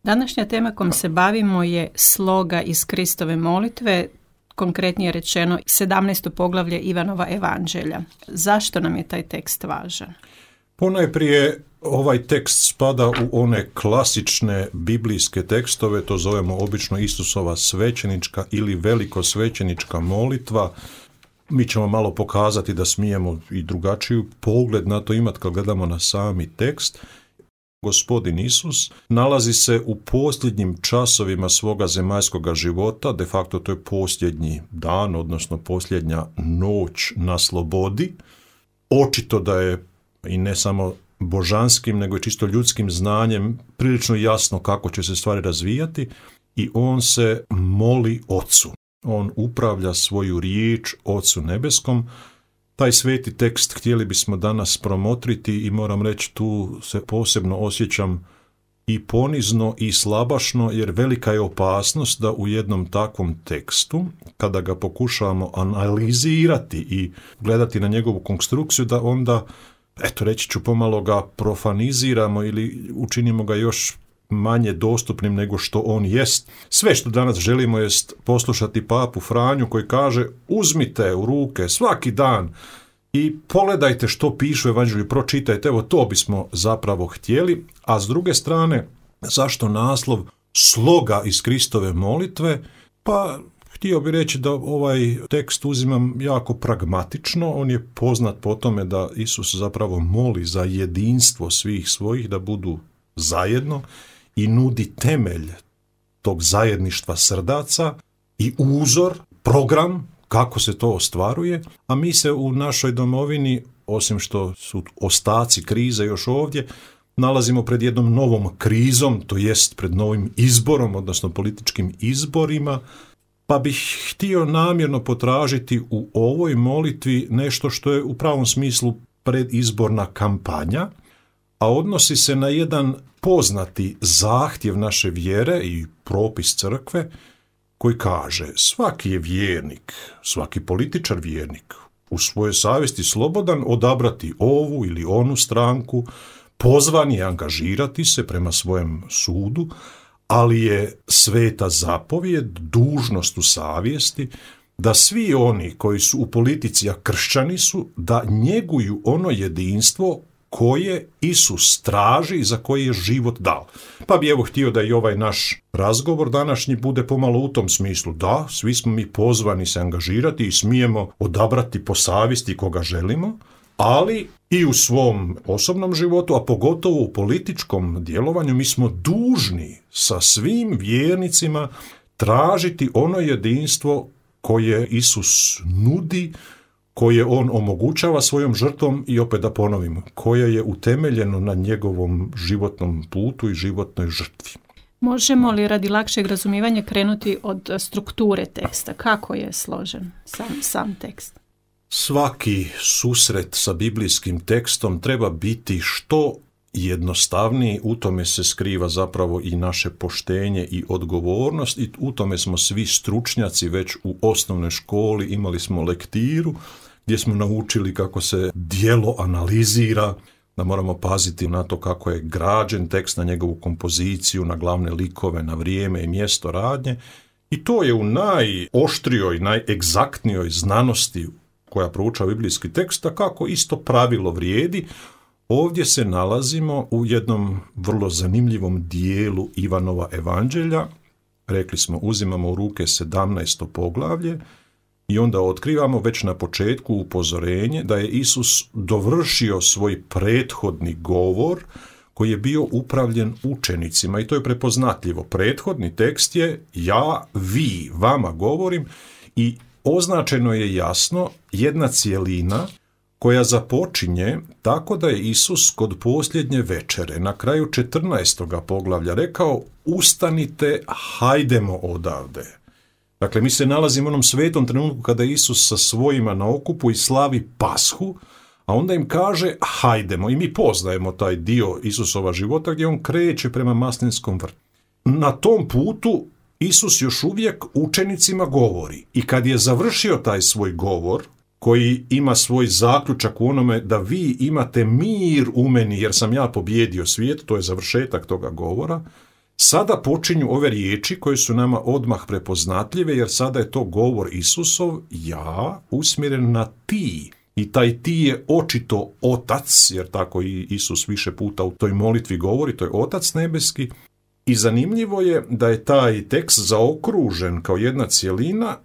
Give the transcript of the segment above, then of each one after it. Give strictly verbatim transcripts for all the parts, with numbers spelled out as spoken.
Današnja tema kojom se bavimo je sloga iz Kristove molitve, konkretnije rečeno sedamnaesto poglavlje Ivanova evanđelja. Zašto nam je taj tekst važan? Ponajprije ovaj tekst spada u one klasične biblijske tekstove, to zovemo obično Isusova svećenička ili velikosvećenička molitva. Mi ćemo malo pokazati da smijemo i drugačiju pogled na to imati kad gledamo na sami tekst. Gospodin Isus nalazi se u posljednjim časovima svoga zemaljskoga života, de facto to je posljednji dan, odnosno posljednja noć na slobodi. Očito da je i ne samo božanskim, nego i čisto ljudskim znanjem prilično jasno kako će se stvari razvijati i on se moli Ocu. On upravlja svoju riječ Ocu nebeskom. Taj sveti tekst htjeli bismo danas promotriti i moram reći tu se posebno osjećam i ponizno i slabašno, jer velika je opasnost da u jednom takvom tekstu, kada ga pokušavamo analizirati i gledati na njegovu konstrukciju, da onda, eto reći ću, pomalo ga profaniziramo ili učinimo ga još manje dostupnim nego što on jest. Sve što danas želimo jest poslušati papu Franju koji kaže: uzmite u ruke svaki dan i pogledajte što piše u evanđelju, pročitajte. Evo, to bismo zapravo htjeli. A s druge strane, zašto naslov sloga iz Kristove molitve? Pa htio bih reći da ovaj tekst uzimam jako pragmatično. On je poznat po tome da Isus zapravo moli za jedinstvo svih svojih, da budu zajedno, i nudi temelj tog zajedništva srdaca i uzor, program kako se to ostvaruje, a mi se u našoj domovini, osim što su ostaci krize još ovdje, nalazimo pred jednom novom krizom, to jest pred novim izborom, odnosno političkim izborima, pa bih htio namjerno potražiti u ovoj molitvi nešto što je u pravom smislu predizborna kampanja, a odnosi se na jedan poznati zahtjev naše vjere i propis crkve koji kaže: svaki je vjernik, svaki političar vjernik u svojoj savjesti slobodan odabrati ovu ili onu stranku, pozvan je angažirati se prema svojem sudu, ali je sveta zapovijed, dužnost u savjesti, da svi oni koji su u politici, a kršćani su, da njeguju ono jedinstvo koje Isus traži i za koje je život dao. Pa bi evo htio da i ovaj naš razgovor današnji bude pomalo u tom smislu. Da, svi smo mi pozvani se angažirati i smijemo odabrati po savjesti koga želimo, ali i u svom osobnom životu, a pogotovo u političkom djelovanju, mi smo dužni sa svim vjernicima tražiti ono jedinstvo koje Isus nudi, koje on omogućava svojom žrtvom i, opet da ponovim, koje je utemeljeno na njegovom životnom putu i životnoj žrtvi. Možemo li radi lakšeg razumijevanja krenuti od strukture teksta? Kako je složen sam, sam tekst? Svaki susret sa biblijskim tekstom treba biti što jednostavniji, u tome se skriva zapravo i naše poštenje i odgovornost, i u tome smo svi stručnjaci. Već u osnovnoj školi imali smo lektiru gdje smo naučili kako se djelo analizira, da moramo paziti na to kako je građen tekst, na njegovu kompoziciju, na glavne likove, na vrijeme i mjesto radnje, i to je u najoštrijoj, najegzaktnijoj znanosti koja proučava biblijski tekst, a kako isto pravilo vrijedi. Ovdje se nalazimo u jednom vrlo zanimljivom dijelu Ivanova evanđelja. Rekli smo, uzimamo u ruke sedamnaesto poglavlje i onda otkrivamo već na početku upozorenje da je Isus dovršio svoj prethodni govor koji je bio upravljen učenicima, i to je prepoznatljivo. Prethodni tekst je ja, vi, vama govorim, i označeno je jasno jedna cjelina koja započinje tako da je Isus kod posljednje večere, na kraju četrnaestoga poglavlja, rekao: ustanite, hajdemo odavde. Dakle, mi se nalazimo u onom svetom trenutku kada je Isus sa svojima na okupu i slavi Pashu, a onda im kaže hajdemo, i mi poznajemo taj dio Isusova života gdje on kreće prema maslinskom vrtu. Na tom putu Isus još uvijek učenicima govori, i kad je završio taj svoj govor, koji ima svoj zaključak u onome da vi imate mir u meni jer sam ja pobijedio svijet, to je završetak toga govora, Sada počinju ove riječi koje su nama odmah prepoznatljive, jer sada je to govor Isusov, ja, usmjeren na ti. I taj ti je očito Otac, jer tako i Isus više puta u toj molitvi govori, to je Otac nebeski. I zanimljivo je da je taj tekst zaokružen kao jedna cjelina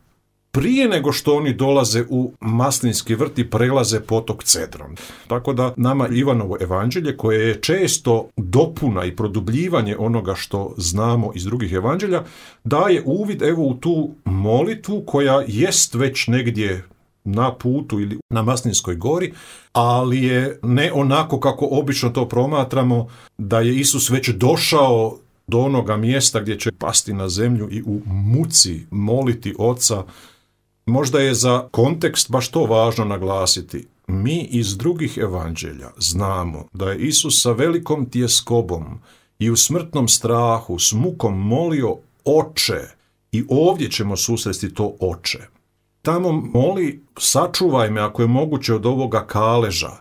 prije nego što oni dolaze u Maslinski vrt i prelaze potok Cedron. Tako da nama Ivanovo evanđelje, koje je često dopuna i produbljivanje onoga što znamo iz drugih evanđelja, daje uvid evo u tu molitvu koja jest već negdje na putu ili na Maslinskoj gori, ali je ne onako kako obično to promatramo, da je Isus već došao do onoga mjesta gdje će pasti na zemlju i u muci moliti Oca. Možda je za kontekst baš to važno naglasiti. Mi iz drugih evanđelja znamo da je Isus sa velikom tjeskobom i u smrtnom strahu s mukom molio Oče, i ovdje ćemo susresti to Oče. Tamo moli, sačuvaj me ako je moguće od ovoga kaleža.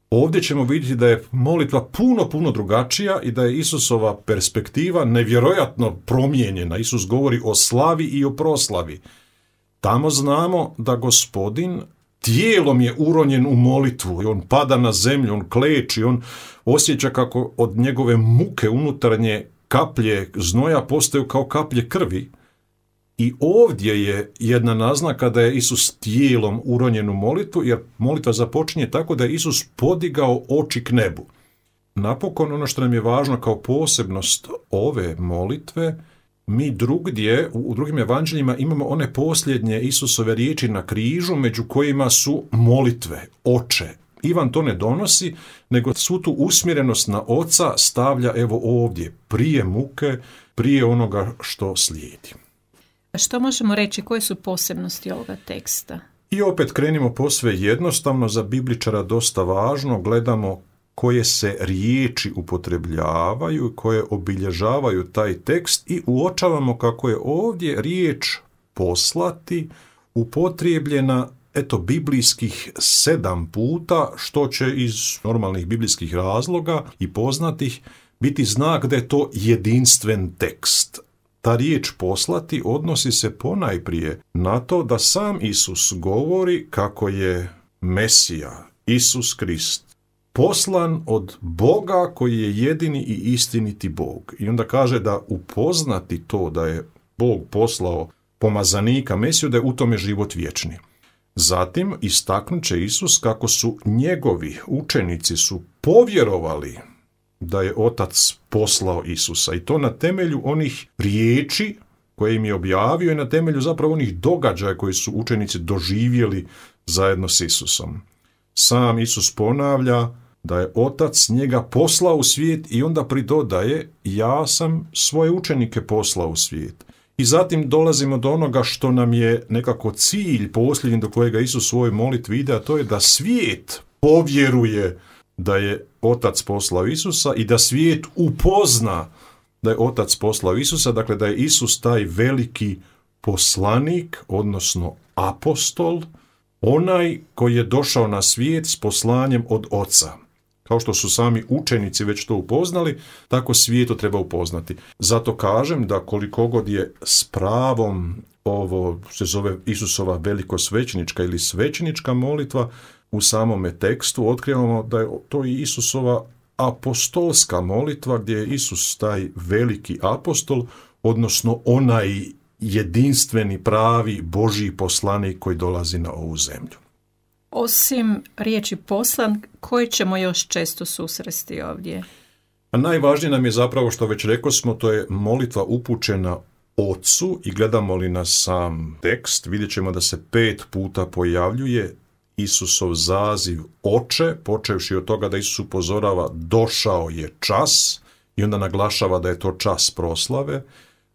Ovdje ćemo vidjeti da je molitva puno, puno drugačija i da je Isusova perspektiva nevjerojatno promijenjena. Isus govori o slavi i o proslavi. Tamo znamo da Gospodin tijelom je uronjen u molitvu i on pada na zemlju, on kleči, on osjeća kako od njegove muke unutarnje kaplje znoja postaju kao kaplje krvi. I ovdje je jedna naznaka da je Isus tijelom uronjen u molitvu, jer molitva započinje tako da je Isus podigao oči k nebu. Napokon, ono što nam je važno kao posebnost ove molitve, mi drugdje, u drugim evanđeljima, imamo one posljednje Isusove riječi na križu, među kojima su molitve, Oče. Ivan to ne donosi, nego svu tu usmjerenost na Oca stavlja evo ovdje, prije muke, prije onoga što slijedi. Što možemo reći, koje su posebnosti ovoga teksta? I opet krenimo posve jednostavno, za bibličara dosta važno, gledamo koje se riječi upotrebljavaju, koje obilježavaju taj tekst i uočavamo kako je ovdje riječ poslati upotrijebljena eto biblijskih sedam puta, što će iz normalnih biblijskih razloga i poznatih biti znak da je to jedinstven tekst. Ta riječ poslati odnosi se ponajprije na to da sam Isus govori kako je Mesija, Isus Krist, poslan od Boga koji je jedini i istiniti Bog. I onda kaže da upoznati to da je Bog poslao pomazanika Mesiju, da je u tome život vječni. Zatim istaknut će Isus kako su njegovi učenici su povjerovali da je Otac poslao Isusa, i to na temelju onih riječi koje im je objavio i na temelju zapravo onih događaja koji su učenici doživjeli zajedno s Isusom. Sam Isus ponavlja da je Otac njega poslao u svijet i onda pridodaje, ja sam svoje učenike poslao u svijet. I zatim dolazimo do onoga što nam je nekako cilj posljednji do kojega Isus u svojoj molitvi ide, a to je da svijet povjeruje da je Otac poslao Isusa i da svijet upozna da je Otac poslao Isusa, dakle da je Isus taj veliki poslanik, odnosno apostol, onaj koji je došao na svijet s poslanjem od Oca. Kao što su sami učenici već to upoznali, tako svijet to treba upoznati. Zato kažem da koliko god je s pravom ovo se zove Isusova velikosvećenička ili svećenička molitva, u samome tekstu otkrivamo da je to i Isusova apostolska molitva, gdje je Isus taj veliki apostol, odnosno onaj jedinstveni, pravi Božji poslanik koji dolazi na ovu zemlju. Osim riječi poslan, koje ćemo još često susresti ovdje? A najvažnije nam je zapravo, što već rekao smo, to je molitva upućena Ocu, i gledamo li na sam tekst, vidjet ćemo da se pet puta pojavljuje Isusov zaziv Oče, počevši od toga da Isus upozorava došao je čas i onda naglašava da je to čas proslave.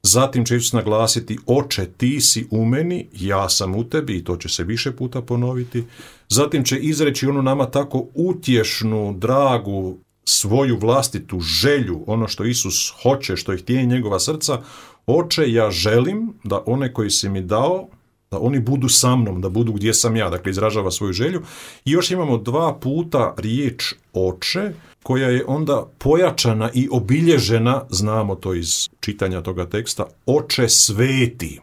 Zatim će Isus naglasiti Oče, ti si u meni, ja sam u tebi, i to će se više puta ponoviti. Zatim će izreći onu nama tako utješnu, dragu, svoju vlastitu želju, ono što Isus hoće, što je htjenje njegova srca. Oče, ja želim da one koji si mi dao da oni budu sa mnom, da budu gdje sam ja, dakle izražava svoju želju. I još imamo dva puta riječ oče, koja je onda pojačana i obilježena, znamo to iz čitanja toga teksta, oče sveti.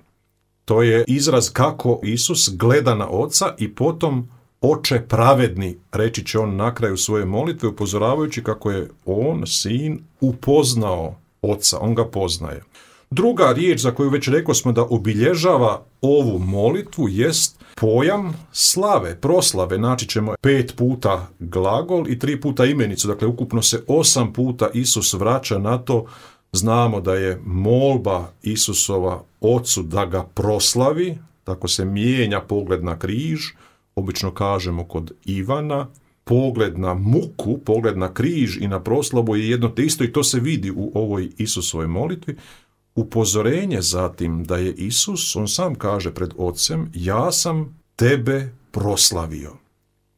To je izraz kako Isus gleda na oca i potom oče pravedni, reći će on na kraju svoje molitve, upozoravajući kako je on, sin, upoznao oca, on ga poznaje. Druga riječ za koju već rekao smo da obilježava ovu molitvu jest pojam slave, proslave. Naći ćemo pet puta glagol i tri puta imenicu, dakle ukupno se osam puta Isus vraća na to. Znamo da je molba Isusova ocu da ga proslavi, tako se mijenja pogled na križ, obično kažemo kod Ivana, pogled na muku, pogled na križ i na proslavu je jedno te isto i to se vidi u ovoj Isusovoj molitvi. Upozorenje zatim da je Isus, on sam kaže pred Ocem, ja sam tebe proslavio.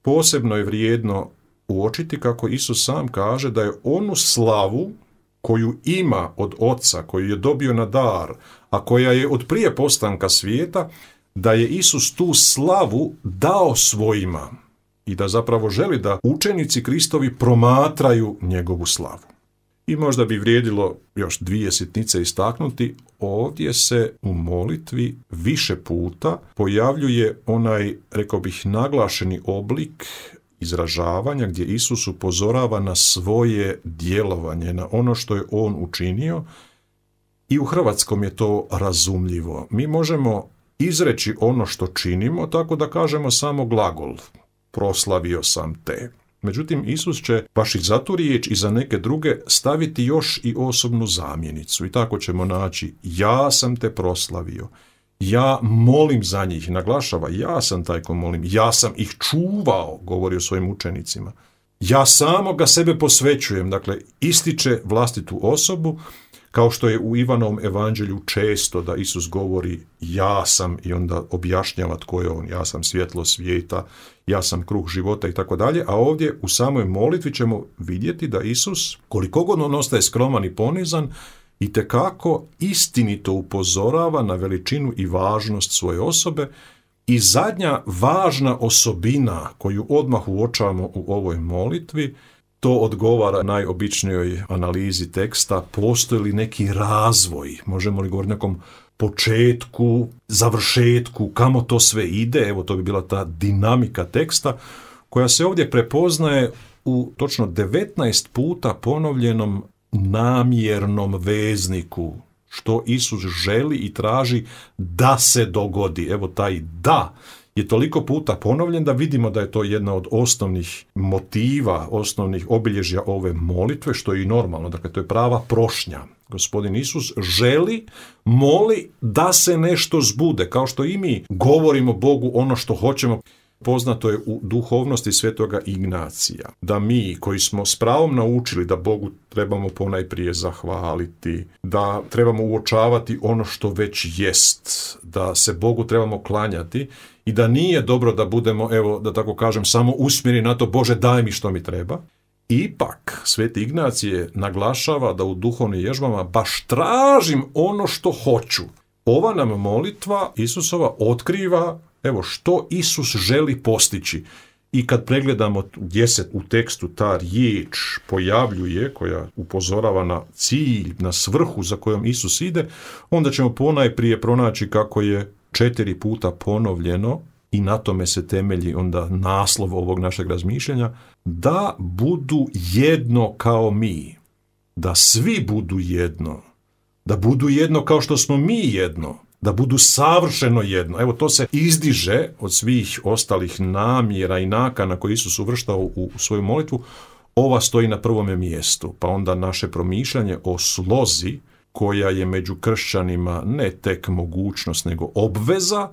Posebno je vrijedno uočiti kako Isus sam kaže da je onu slavu koju ima od Oca, koju je dobio na dar, a koja je od prije postanka svijeta, da je Isus tu slavu dao svojima i da zapravo želi da učenici Kristovi promatraju njegovu slavu. I možda bi vrijedilo još dvije sitnice istaknuti, ovdje se u molitvi više puta pojavljuje onaj, rekao bih, naglašeni oblik izražavanja gdje Isus upozorava na svoje djelovanje, na ono što je on učinio i u hrvatskom je to razumljivo. Mi možemo izreći ono što činimo tako da kažemo samo glagol, proslavio sam te. Međutim, Isus će baš i za tu riječ i za neke druge staviti još i osobnu zamjenicu i tako ćemo naći ja sam te proslavio, ja molim za njih, naglašava ja sam taj ko molim, ja sam ih čuvao, govori o svojim učenicima, ja samoga sebe posvećujem, dakle ističe vlastitu osobu, kao što je u Ivanovom evanđelju često da Isus govori ja sam i onda objašnjava tko je on, ja sam svjetlo svijeta, ja sam kruh života i tako dalje, a ovdje u samoj molitvi ćemo vidjeti da Isus, koliko god on ostaje skroman i ponizan, itekako istinito upozorava na veličinu i važnost svoje osobe. I zadnja važna osobina koju odmah uočavamo u ovoj molitvi, to odgovara najobičnijoj analizi teksta, postoji li neki razvoj, možemo li govoriti o nekom početku, završetku, kamo to sve ide, evo to bi bila ta dinamika teksta, koja se ovdje prepoznaje u točno devetnaest puta ponovljenom namjernom vezniku, što Isus želi i traži da se dogodi. Evo taj da je toliko puta ponovljen da vidimo da je to jedna od osnovnih motiva, osnovnih obilježja ove molitve, što je i normalno, dakle to je prava prošnja. Gospodin Isus želi, moli da se nešto zbude, kao što i mi govorimo Bogu ono što hoćemo. Poznato je u duhovnosti svetoga Ignacija, da mi koji smo s pravom naučili da Bogu trebamo ponajprije zahvaliti, da trebamo uočavati ono što već jest, da se Bogu trebamo klanjati i da nije dobro da budemo, evo da tako kažem, samo usmjereni na to Bože daj mi što mi treba. Ipak, sveti Ignacije naglašava da u duhovnim vježbama baš tražim ono što hoću. Ova nam molitva Isusova otkriva evo što Isus želi postići. I kad pregledamo gdje se u tekstu ta riječ pojavljuje, koja upozorava na cilj, na svrhu za kojom Isus ide, onda ćemo ponajprije pronaći kako je četiri puta ponovljeno, i na tome se temelji onda naslov ovog našeg razmišljanja, da budu jedno kao mi, da svi budu jedno, da budu jedno kao što smo mi jedno, da budu savršeno jedno. Evo to se izdiže od svih ostalih namjera i nakana koje Isus uvrštao u svoju molitvu. Ova stoji na prvome mjestu, pa onda naše promišljanje o slozi koja je među kršćanima ne tek mogućnost nego obveza,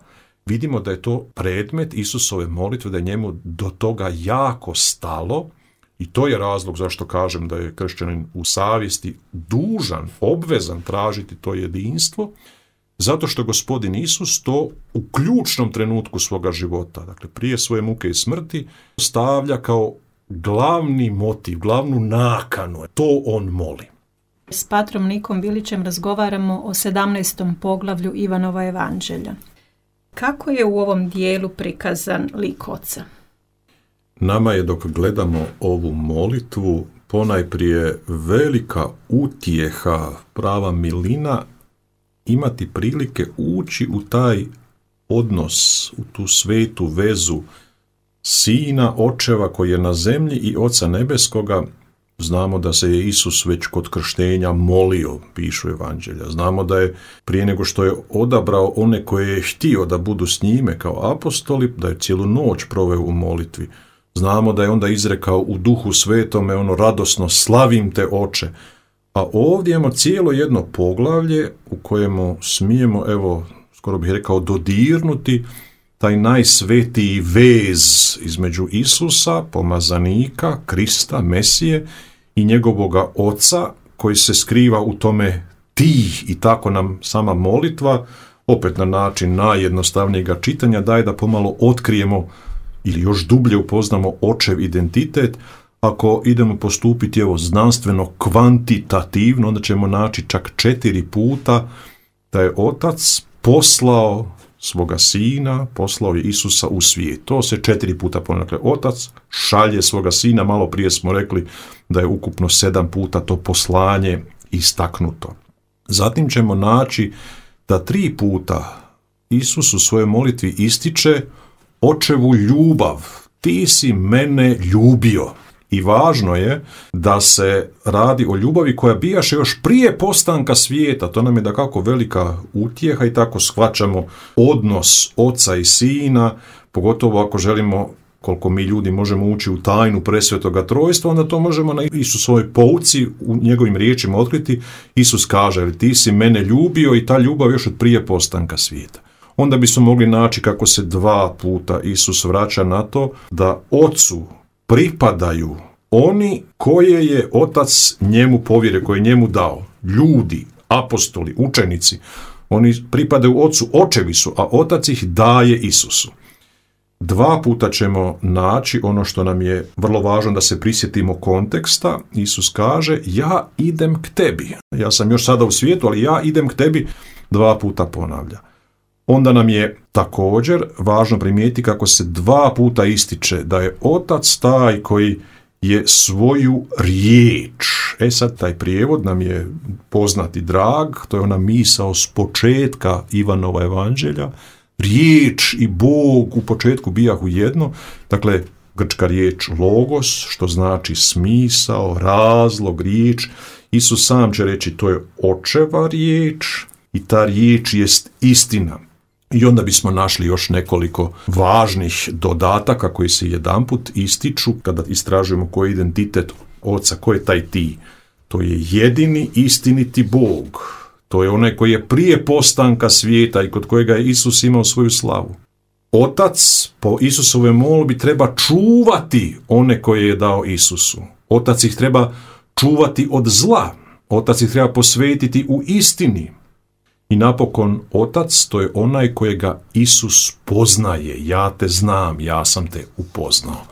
vidimo da je to predmet Isusove molitve, da je njemu do toga jako stalo i to je razlog zašto kažem da je kršćanin u savjesti dužan, obvezan tražiti to jedinstvo, zato što gospodin Isus to u ključnom trenutku svoga života, dakle prije svoje muke i smrti, stavlja kao glavni motiv, glavnu nakanu. To on moli. S patrom Nikom Bilićem razgovaramo o sedamnaestom poglavlju Ivanova evanđelja. Kako je u ovom dijelu prikazan lik Oca? Nama je, dok gledamo ovu molitvu, ponajprije velika utjeha, prava milina, imati prilike ući u taj odnos, u tu svetu vezu Sina, Očeva koji je na zemlji i Oca nebeskoga. Znamo da se je Isus već kod krštenja molio, pišu evanđelja. Znamo da je prije nego što je odabrao one koje je htio da budu s njime kao apostoli, da je cijelu noć proveo u molitvi. Znamo da je onda izrekao u Duhu Svetome ono radosno slavim te Oče. A ovdje imamo cijelo jedno poglavlje u kojemu smijemo, evo, skoro bih rekao, dodirnuti taj najsvetiji vez između Isusa, pomazanika, Krista, Mesije i njegovoga Oca koji se skriva u tome ti, i tako nam sama molitva, opet na način najjednostavnijega čitanja, daje da pomalo otkrijemo ili još dublje upoznamo Očev identitet. Ako idemo postupiti evo znanstveno kvantitativno, onda ćemo naći čak četiri puta da je Otac poslao svoga Sina, poslao je Isusa u svijet. To se četiri puta ponavlja. Dakle, Otac šalje svoga Sina, malo prije smo rekli da je ukupno sedam puta to poslanje istaknuto. Zatim ćemo naći da tri puta Isus u svojoj molitvi ističe Očevu ljubav. Ti si mene ljubio. I važno je da se radi o ljubavi koja bijaše još prije postanka svijeta. To nam je dakako velika utjeha i tako shvaćamo odnos Oca i Sina, pogotovo ako želimo, koliko mi ljudi možemo ući u tajnu presvetoga trojstva, onda to možemo na Isusovoj pouci u njegovim riječima otkriti. Isus kaže, ti si mene ljubio, i ta ljubav još od prije postanka svijeta. Onda bismo mogli naći kako se dva puta Isus vraća na to da Ocu pripadaju oni koje je Otac njemu povjerio, koje je njemu dao. Ljudi, apostoli, učenici, oni pripadaju Ocu, očevi su, a Otac ih daje Isusu. Dva puta ćemo naći ono što nam je vrlo važno da se prisjetimo konteksta. Isus kaže, ja idem k tebi. Ja sam još sada u svijetu, ali ja idem k tebi, dva puta ponavlja. Onda nam je također važno primijetiti kako se dva puta ističe da je Otac taj koji je svoju riječ. E sad, taj prijevod nam je poznat i drag, to je ona misao s početka Ivanova evanđelja. Riječ i Bog u početku bijahu jedno, dakle, grčka riječ logos, što znači smisao, razlog, riječ. Isus sam će reći, to je Očeva riječ i ta riječ jest istina. I onda bismo našli još nekoliko važnih dodataka koji se jedanput ističu kada istražujemo koji je identitet Oca, ko je taj ti. To je jedini istiniti Bog. To je onaj koji je prije postanka svijeta i kod kojega je Isus imao svoju slavu. Otac po Isusovoj molbi treba čuvati one koje je dao Isusu. Otac ih treba čuvati od zla. Otac ih treba posvetiti u istini. I napokon Otac, to je onaj kojega Isus poznaje. Ja te znam, ja sam te upoznao.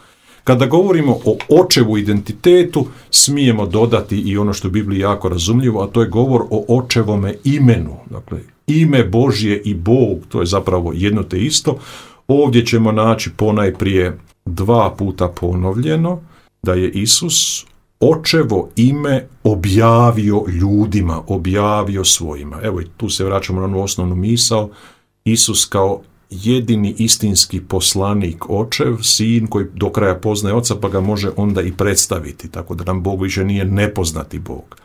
Kada govorimo o Očevu identitetu, smijemo dodati i ono što je u Bibliji jako razumljivo, a to je govor o Očevome imenu. Dakle, ime Božje i Bog, to je zapravo jedno te isto. Ovdje ćemo naći ponajprije dva puta ponovljeno da je Isus Očevo ime objavio ljudima, objavio svojima. Evo i tu se vraćamo na onu osnovnu misao. Isus kao jedini istinski poslanik Očev, Sin koji do kraja poznaje Oca, pa ga može onda i predstaviti, tako da nam Bog više nije nepoznati Bog.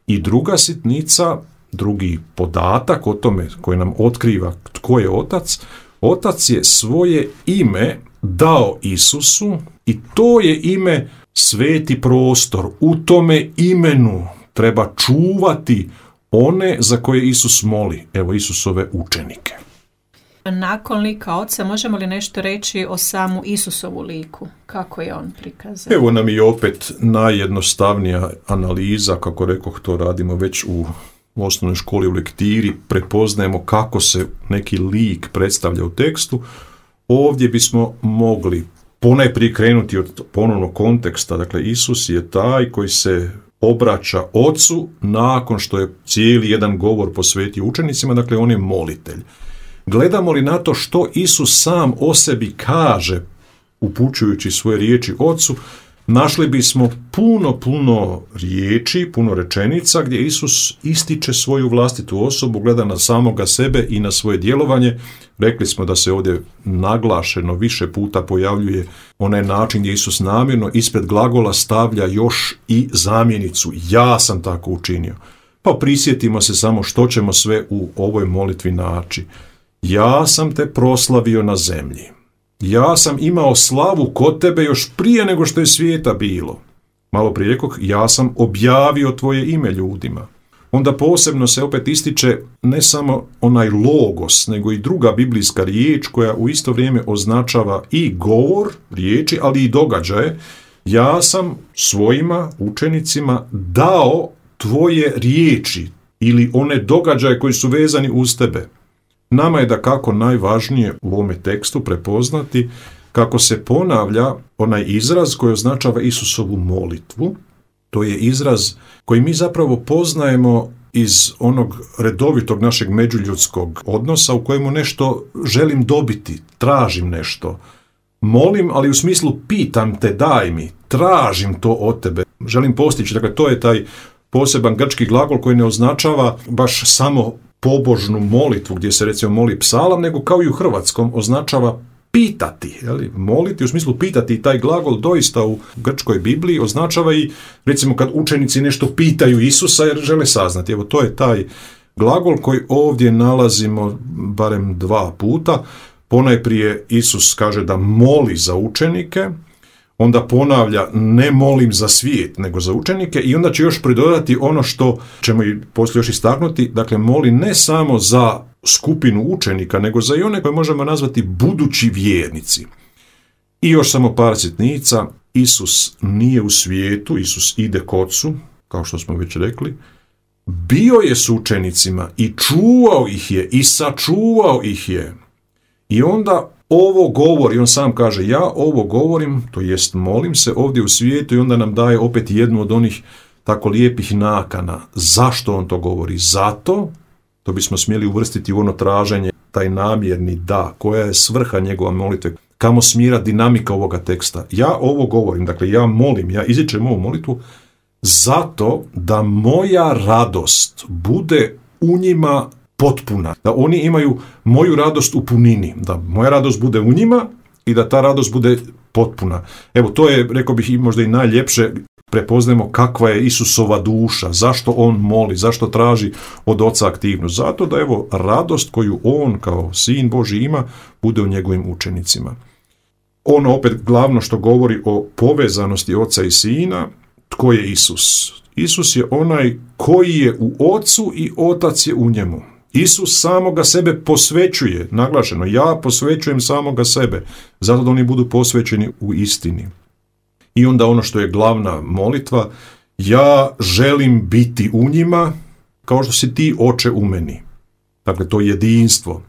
I druga sitnica, drugi podatak o tome koji nam otkriva tko je Otac, Otac je svoje ime dao Isusu i to je ime sveti prostor. U tome imenu treba čuvati one za koje Isus moli. Evo Isusove učenike. Nakon lika Oca možemo li nešto reći o samu Isusovu liku? Kako je on prikazan? Evo nam i opet najjednostavnija analiza, kako rekoh, to radimo već u osnovnoj školi u lektiri, prepoznajemo kako se neki lik predstavlja u tekstu. Ovdje bismo mogli ponajprije krenuti od ponovnog konteksta. Dakle, Isus je taj koji se obraća Ocu nakon što je cijeli jedan govor posvetio učenicima, dakle on je molitelj. Gledamo li na to što Isus sam o sebi kaže, upućujući svoje riječi Ocu, našli bismo puno, puno riječi, puno rečenica gdje Isus ističe svoju vlastitu osobu, gleda na samoga sebe i na svoje djelovanje. Rekli smo da se ovdje naglašeno više puta pojavljuje onaj način gdje Isus namjerno ispred glagola stavlja još i zamjenicu. Ja sam tako učinio. Pa prisjetimo se samo što ćemo sve u ovoj molitvi naći. Ja sam te proslavio na zemlji. Ja sam imao slavu kod tebe još prije nego što je svijeta bilo. Malo prije rekoh, ja sam objavio tvoje ime ljudima. Onda posebno se opet ističe ne samo onaj logos, nego i druga biblijska riječ koja u isto vrijeme označava i govor riječi, ali i događaje. Ja sam svojima učenicima dao tvoje riječi ili one događaje koji su vezani uz tebe. Nama je da kako najvažnije u ovome tekstu prepoznati kako se ponavlja onaj izraz koji označava Isusovu molitvu. To je izraz koji mi zapravo poznajemo iz onog redovitog našeg međuljudskog odnosa u kojemu nešto želim dobiti, tražim nešto. Molim, ali u smislu pitam te, daj mi, tražim to od tebe, želim postići. Dakle, to je taj poseban grčki glagol koji ne označava baš samo pobožnu molitvu gdje se recimo moli psalam, nego kao i u hrvatskom označava pitati. Jeli? Moliti u smislu pitati, i taj glagol doista u grčkoj Bibliji označava i recimo kad učenici nešto pitaju Isusa jer žele saznati. Evo, to je taj glagol koji ovdje nalazimo barem dva puta. Ponajprije Isus kaže da moli za učenike, onda ponavlja ne molim za svijet, nego za učenike, i onda će još pridodati ono što ćemo i poslije još istaknuti, dakle moli ne samo za skupinu učenika, nego za i one koje možemo nazvati budući vjernici. I još samo par sitnica, Isus nije u svijetu, Isus ide k Ocu, kao što smo već rekli, bio je s učenicima i čuvao ih je i sačuvao ih je. I onda ovo govori, on sam kaže, ja ovo govorim, to jest molim se ovdje u svijetu, i onda nam daje opet jednu od onih tako lijepih nakana. Zašto on to govori? Zato, to bismo smjeli uvrstiti u ono traženje, taj namjerni da, koja je svrha njegova molitve, kamo smjera dinamika ovoga teksta. Ja ovo govorim, dakle ja molim, ja izričem ovu molitvu, zato da moja radost bude u njima potpuna, da oni imaju moju radost u punini, da moja radost bude u njima i da ta radost bude potpuna. Evo, to je, rekao bih, i možda i najljepše prepoznajemo kakva je Isusova duša, zašto on moli, zašto traži od Oca aktivnost. Zato da, evo, radost koju on kao Sin Božji ima, bude u njegovim učenicima. Ono opet glavno što govori o povezanosti Oca i Sina, tko je Isus? Isus je onaj koji je u Ocu i Otac je u njemu. Isus samoga sebe posvećuje, naglašeno, ja posvećujem samoga sebe, zato da oni budu posvećeni u istini. I onda ono što je glavna molitva, ja želim biti u njima kao što si ti, Oče, u meni. Dakle, to jedinstvo.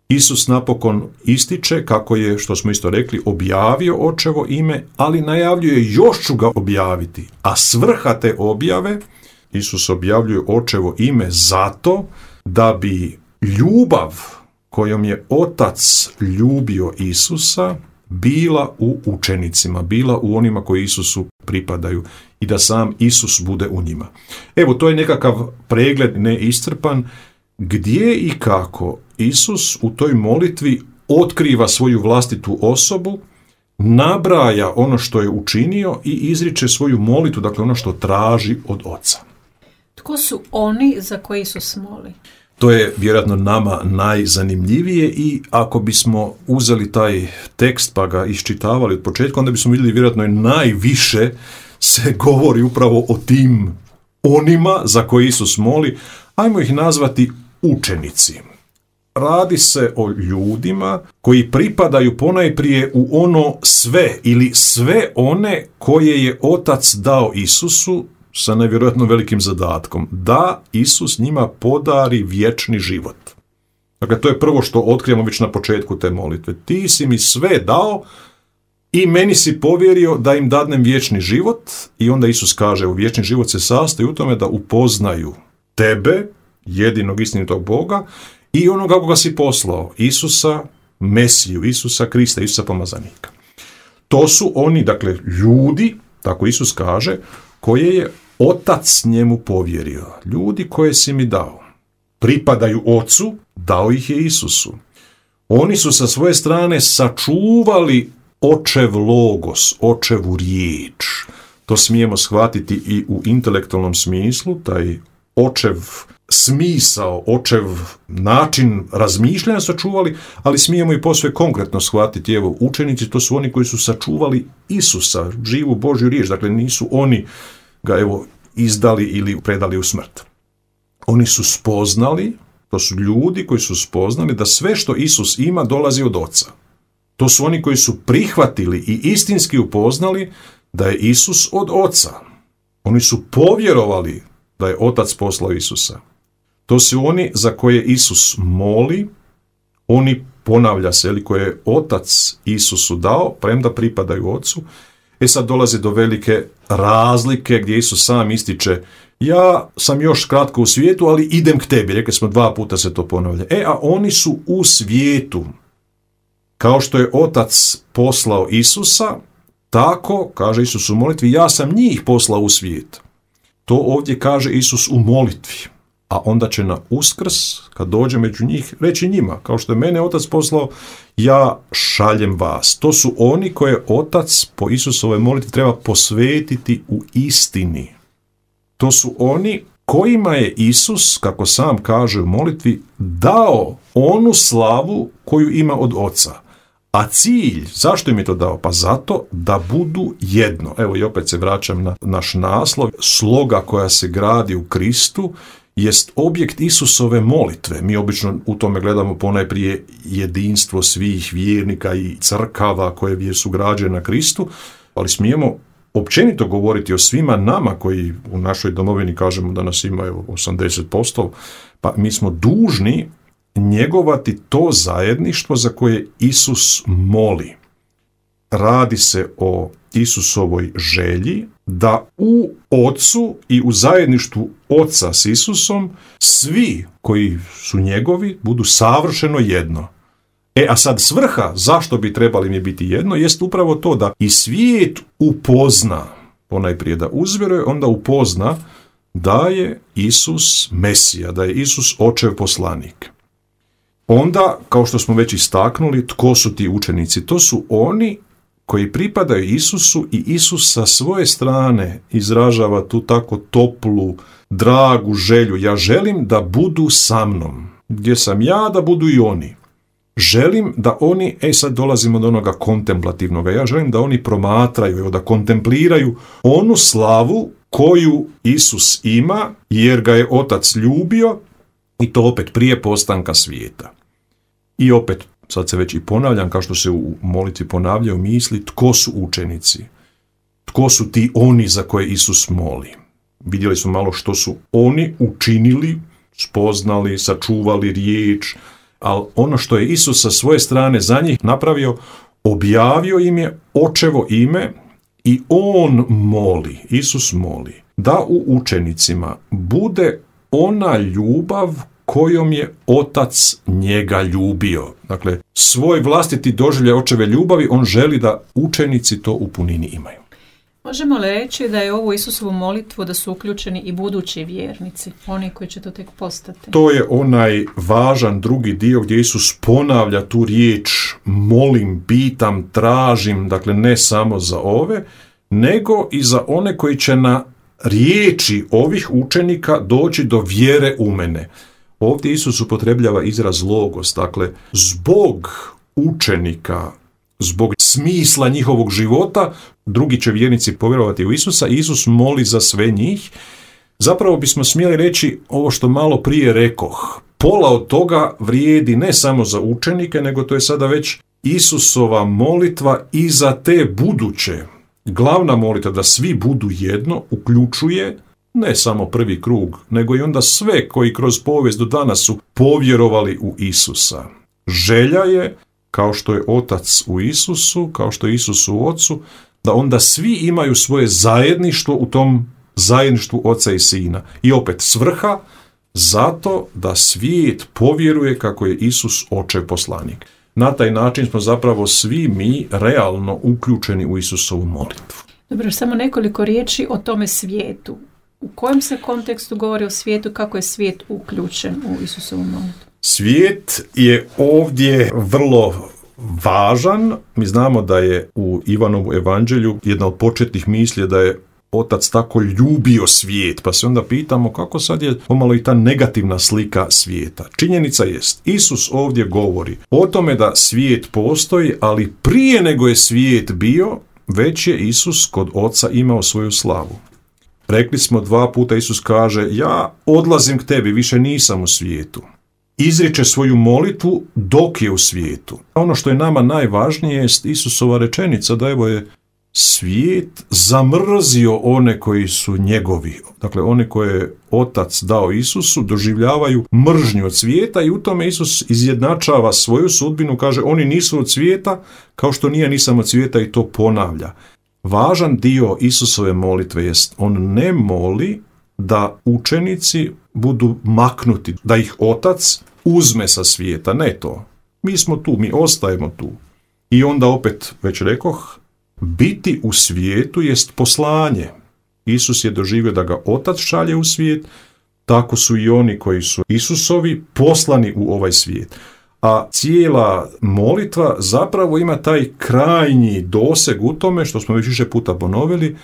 Isus napokon ističe kako je, što smo isto rekli, objavio Očevo ime, ali najavljuje još ću ga objaviti. A svrha te objave, Isus objavljuje Očevo ime zato da bi ljubav kojom je Otac ljubio Isusa bila u učenicima, bila u onima koji Isusu pripadaju i da sam Isus bude u njima. Evo, to je nekakav pregled neiscrpan gdje i kako Isus u toj molitvi otkriva svoju vlastitu osobu, nabraja ono što je učinio i izriče svoju molitvu, dakle ono što traži od Oca. Tko su oni za koje Isus moli? To je vjerojatno nama najzanimljivije, i ako bismo uzeli taj tekst pa ga iščitavali od početka, onda bismo vidjeli vjerojatno je najviše se govori upravo o tim onima za koje Isus moli. Ajmo ih nazvati učenici. Radi se o ljudima koji pripadaju ponajprije u ono sve ili sve one koje je Otac dao Isusu, sa nevjerojatno velikim zadatkom, da Isus njima podari vječni život. Dakle, to je prvo što otkrijemo već na početku te molitve. Ti si mi sve dao i meni si povjerio da im dadnem vječni život, i onda Isus kaže, u vječni život se sastoji u tome da upoznaju tebe, jedinog istinitog Boga, i onoga koga si poslao, Isusa, Mesiju, Isusa Krista, Isusa pomazanika. To su oni, dakle, ljudi, tako Isus kaže, koje je Otac njemu povjerio. Ljudi koje si mi dao. Pripadaju Ocu, dao ih je Isusu. Oni su sa svoje strane sačuvali Očev logos, Očevu riječ. To smijemo shvatiti i u intelektualnom smislu, taj Očev smisao, Očev način razmišljanja sačuvali, ali smijemo i posve konkretno shvatiti, evo, učenici, to su oni koji su sačuvali Isusa, živu Božju riječ, dakle nisu oni ga, evo, izdali ili predali u smrt. Oni su spoznali, to su ljudi koji su spoznali da sve što Isus ima dolazi od Oca. To su oni koji su prihvatili i istinski upoznali da je Isus od Oca. Oni su povjerovali da je Otac poslao Isusa. To su oni za koje Isus moli, oni, ponavlja se, ili koje je Otac Isusu dao, premda pripadaju Ocu. E sad dolazi do velike razlike gdje Isus sam ističe, ja sam još kratko u svijetu, ali idem k tebi. Rekli smo, dva puta se to ponavlja. E, a oni su u svijetu. Kao što je Otac poslao Isusa, tako, kaže Isus u molitvi, ja sam njih poslao u svijet. To ovdje kaže Isus u molitvi. A onda će na Uskrs, kad dođe među njih, reći njima, kao što je mene Otac poslao, ja šaljem vas. To su oni koje Otac po Isusovoj molitvi treba posvetiti u istini. To su oni kojima je Isus, kako sam kaže u molitvi, dao onu slavu koju ima od Oca. A cilj, zašto im je to dao? Pa zato da budu jedno. Evo i opet se vraćam na naš naslov. Sloga koja se gradi u Kristu jest objekt Isusove molitve. Mi obično u tome gledamo ponajprije jedinstvo svih vjernika i crkava koje su građene na Kristu, ali smijemo općenito govoriti o svima nama koji u našoj domovini kažemo da nas ima osamdeset posto, pa mi smo dužni njegovati to zajedništvo za koje Isus moli. Radi se o Isusovoj želji da u Ocu i u zajedništvu Oca s Isusom svi koji su njegovi budu savršeno jedno. E, a sad svrha zašto bi trebali mi biti jedno jest upravo to da i svijet upozna, ponajprije da uzvjeruje, onda upozna da je Isus Mesija, da je Isus Očev poslanik. Onda, kao što smo već istaknuli, tko su ti učenici? To su oni koji pripadaju Isusu i Isus sa svoje strane izražava tu tako toplu, dragu želju. Ja želim da budu sa mnom. Gdje sam ja, da budu i oni. Želim da oni, e sad dolazimo do onoga kontemplativnog, ja želim da oni promatraju, da kontempliraju onu slavu koju Isus ima, jer ga je Otac ljubio, i to opet prije postanka svijeta. I opet, sad se već i ponavljam, kao što se u molitvi ponavljaju misli, tko su učenici? Tko su ti oni za koje Isus moli? Vidjeli smo malo što su oni učinili, spoznali, sačuvali riječ, ali ono što je Isus sa svoje strane za njih napravio, objavio im je Očevo ime i on moli, Isus moli, da u učenicima bude ona ljubav kojom je Otac njega ljubio. Dakle, svoj vlastiti doživljaj Očeve ljubavi on želi da učenici to u punini imaju. Možemo li reći da je ovu Isusovu molitvu da su uključeni i budući vjernici, oni koji će to tek postati? To je onaj važan drugi dio gdje Isus ponavlja tu riječ molim, pitam, tražim, dakle ne samo za ove, nego i za one koji će na riječi ovih učenika doći do vjere u mene. Ovdje Isus upotrebljava izraz logos, dakle zbog učenika, zbog smisla njihovog života, drugi će vjernici povjerovati u Isusa i Isus moli za sve njih. Zapravo bismo smjeli reći ovo što malo prije rekoh. Pola od toga vrijedi ne samo za učenike, nego to je sada već Isusova molitva i za te buduće. Glavna molitva da svi budu jedno uključuje ne samo prvi krug, nego i onda sve koji kroz povijest do danas su povjerovali u Isusa. Želja je, kao što je Otac u Isusu, kao što je Isus u Ocu, da onda svi imaju svoje zajedništvo u tom zajedništvu Oca i Sina. I opet svrha zato da svijet povjeruje kako je Isus očev poslanik. Na taj način smo zapravo svi mi realno uključeni u Isusovu molitvu. Dobro, samo nekoliko riječi o tome svijetu. U kojem se kontekstu govori o svijetu, kako je svijet uključen u Isusovu molitvu? Svijet je ovdje vrlo važan. Mi znamo da je u Ivanovu evanđelju jedna od početnih misli da je Otac tako ljubio svijet, pa se onda pitamo kako sad je pomalo i ta negativna slika svijeta. Činjenica jest, Isus ovdje govori o tome da svijet postoji, ali prije nego je svijet bio, već je Isus kod Oca imao svoju slavu. Rekli smo dva puta, Isus kaže, ja odlazim k tebi, više nisam u svijetu. Izriče svoju molitvu dok je u svijetu. Ono što je nama najvažnije je Isusova rečenica da evo je svijet zamrzio one koji su njegovi. Dakle, one koje je Otac dao Isusu doživljavaju mržnju od svijeta i u tome Isus izjednačava svoju sudbinu, kaže oni nisu od svijeta kao što nije nisam od svijeta i to ponavlja. Važan dio Isusove molitve jest on ne moli da učenici budu maknuti, da ih Otac uzme sa svijeta, ne to. Mi smo tu, mi ostajemo tu. I onda opet, već rekoh, biti u svijetu jest poslanje. Isus je doživio da ga Otac šalje u svijet, tako su i oni koji su Isusovi poslani u ovaj svijet. A cijela molitva zapravo ima taj krajnji doseg u tome, što smo već više puta ponovili,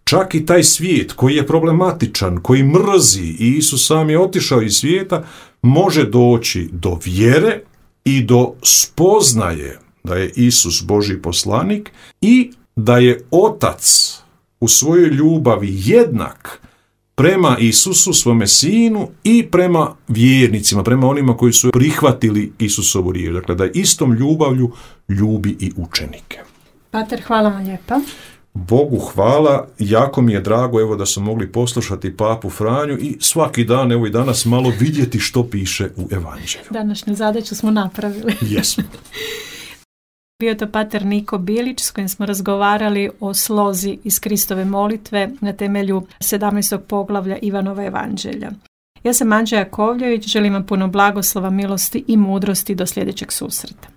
čak i taj svijet koji je problematičan, koji mrzi i Isus sam je otišao iz svijeta, može doći do vjere i do spoznaje da je Isus Božji poslanik i da je Otac u svojoj ljubavi jednak prema Isusu, svome sinu i prema vjernicima, prema onima koji su prihvatili Isusovu riječ. Dakle, da istom ljubavlju ljubi i učenike. Pater, hvala vam lijepa. Bogu hvala, jako mi je drago evo da su mogli poslušati Papu Franju i svaki dan, evo i danas, malo vidjeti što piše u evanđelju. Današnju zadaću smo napravili. Jesmo. Bio je to pater Niko Bilić s kojim smo razgovarali o slozi iz Kristove molitve na temelju sedamnaestog poglavlja Ivanova evanđelja. Ja sam Anđela Jakovljević, želim vam puno blagoslova, milosti i mudrosti do sljedećeg susreta.